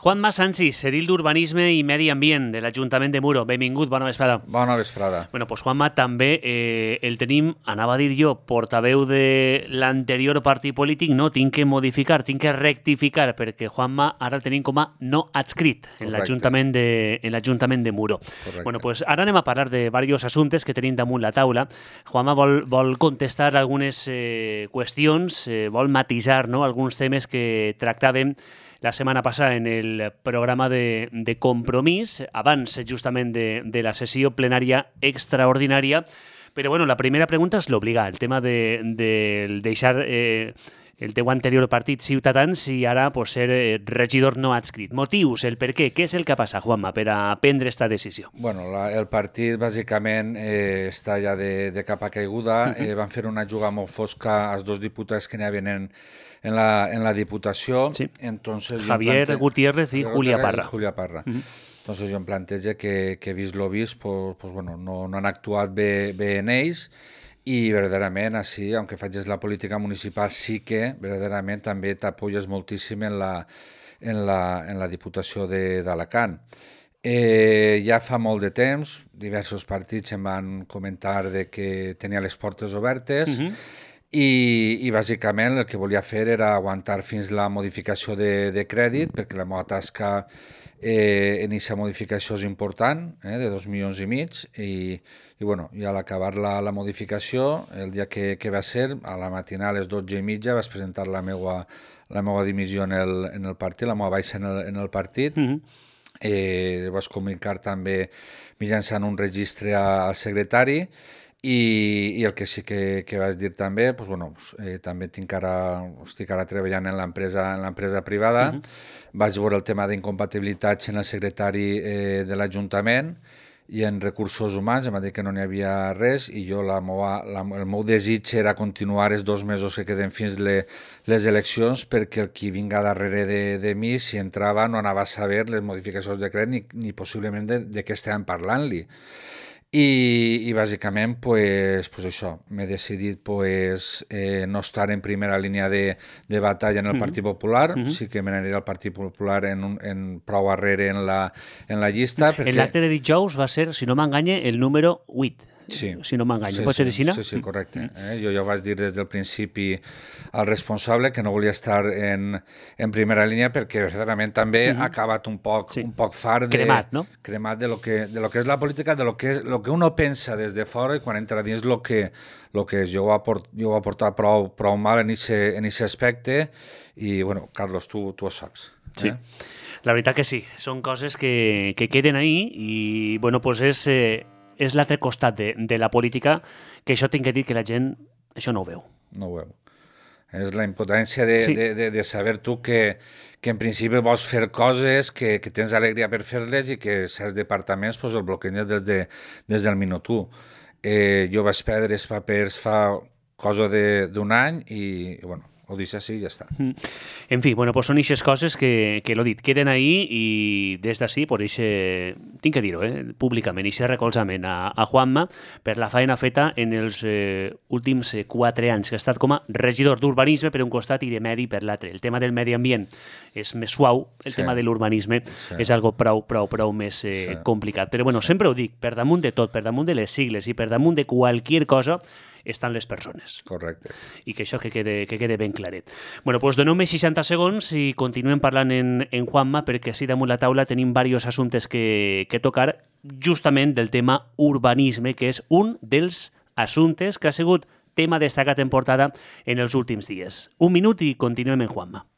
Juanma Sanchis, edil d'Urbanisme i Medi Ambient de l'Ajuntament de Muro. Benvingut, bona vesprada. Bona vesprada. Bueno, doncs Juanma també el tenim, anava a dir jo, portaveu de l'anterior partit polític, no, tinc que modificar, tinc que rectificar, perquè Juanma ara el tenim com a no adscrit en l'Ajuntament de Muro. Correcte. Bueno, doncs ara anem a parlar de diversos assumptes que tenim damunt la taula. Juanma vol contestar algunes qüestions, vol matisar, no, alguns temes que tractàvem la setmana passada en el programa de Compromís, abans justament de la sessió plenària extraordinària. Però bueno, la primera pregunta és l'obligar, el tema de deixar el teu anterior partit Ciutadans i ara ser regidor no adscrit. Motius, el per què és el que passa, Juanma, per a prendre aquesta decisió? Bueno, el partit bàsicament està ja de capa caiguda. Van fer una jugada molt fosca als dos diputats que n'hi havia en la Diputació. Sí. Entonces, Javier Gutiérrez i Julia Parra. Entonces jo em plantejo que vist lo vist, pues bueno, no han actuat bé en ells i verdaderament així, aunque facis la política municipal, sí que verdaderament també t'apoyes moltíssim en la Diputació d'Alacant. Ja fa molt de temps, diversos partits em van comentar de que tenia les portes obertes i bàsicament el que volia fer era aguantar fins la modificació de crèdit, perquè la meva tasca en aquesta modificació és important, de 2,5 milions, i bueno, i a l'acabar la modificació, el dia que va ser, a la matinada a les 12:30 vaig presentar la meva dimissió en el partit, la meva baixa en el partit. Vaig comunicar també mitjançant un registre al secretari i el que sí que vaig dir també, també estic ara treballant en l'empresa privada. Vaig veure el tema d'incompatibilitats en el secretari de l'Ajuntament i en recursos humans, em va dir que no n'hi havia res i jo el meu desig era continuar els 2 mesos que queden fins les eleccions perquè el qui vinga darrere de mi, si entrava, no anava a saber les modificacions de crèdit ni possiblement de què estàvem parlant-li. I bàsicament, pues això, m'he decidit no estar en primera línia de batalla en el Partit Popular, sí que me n'aniré al Partit Popular en prou arrere en la llista. En l'acte de dijous va ser, si no m'enganye, el número 8. Sí. Si no m'enganya. Pot ser així, no? Sí, correcte. Jo ja vaig dir des del principi al responsable que no volia estar en primera línia perquè verdaderament també ha acabat un poc fart cremat, no? Cremat de lo que és la política, de lo que uno pensa des de fora i quan entra dins lo que és. Jo ho he portat prou mal en aquest aspecte i, bueno, Carlos, tu ho saps. Sí. La veritat que sí. Són coses que queden ahí i, bueno, pues és l'altre costat de la política, que això tinc que dir que la gent això no ho veu. No ho veu. És la impotència de saber tu que en principi vols fer coses, que tens alegria per fer-les i que certs departaments el bloquegen des del minut 1. Jo vaig perdre els papers fa cosa d'un any i, bueno, ho deixo així i ja està. En fi, bueno, pues són aquestes coses que l'ho dit, queden ahí i des d'ací, tinc que dir-ho, públicament, aquest recolzament a Juanma per la feina feta en els últims 4 anys, que ha estat com a regidor d'urbanisme per un costat i de medi per l'altre. El tema del medi ambient és més suau, el tema de l'urbanisme és algo prou més complicat. Però bueno, sempre ho dic, per damunt de tot, per damunt de les sigles i per damunt de qualsevol cosa, estan les persones. Correcte. I que això que quede ben claret. Bueno, doncs doneu-me 60 segons i continuem parlant en Juanma, perquè així damunt la taula tenim diversos assumptes que tocar, justament del tema urbanisme, que és un dels assumptes que ha sigut tema destacat en portada en els últims dies. 1 minut i continuem en Juanma.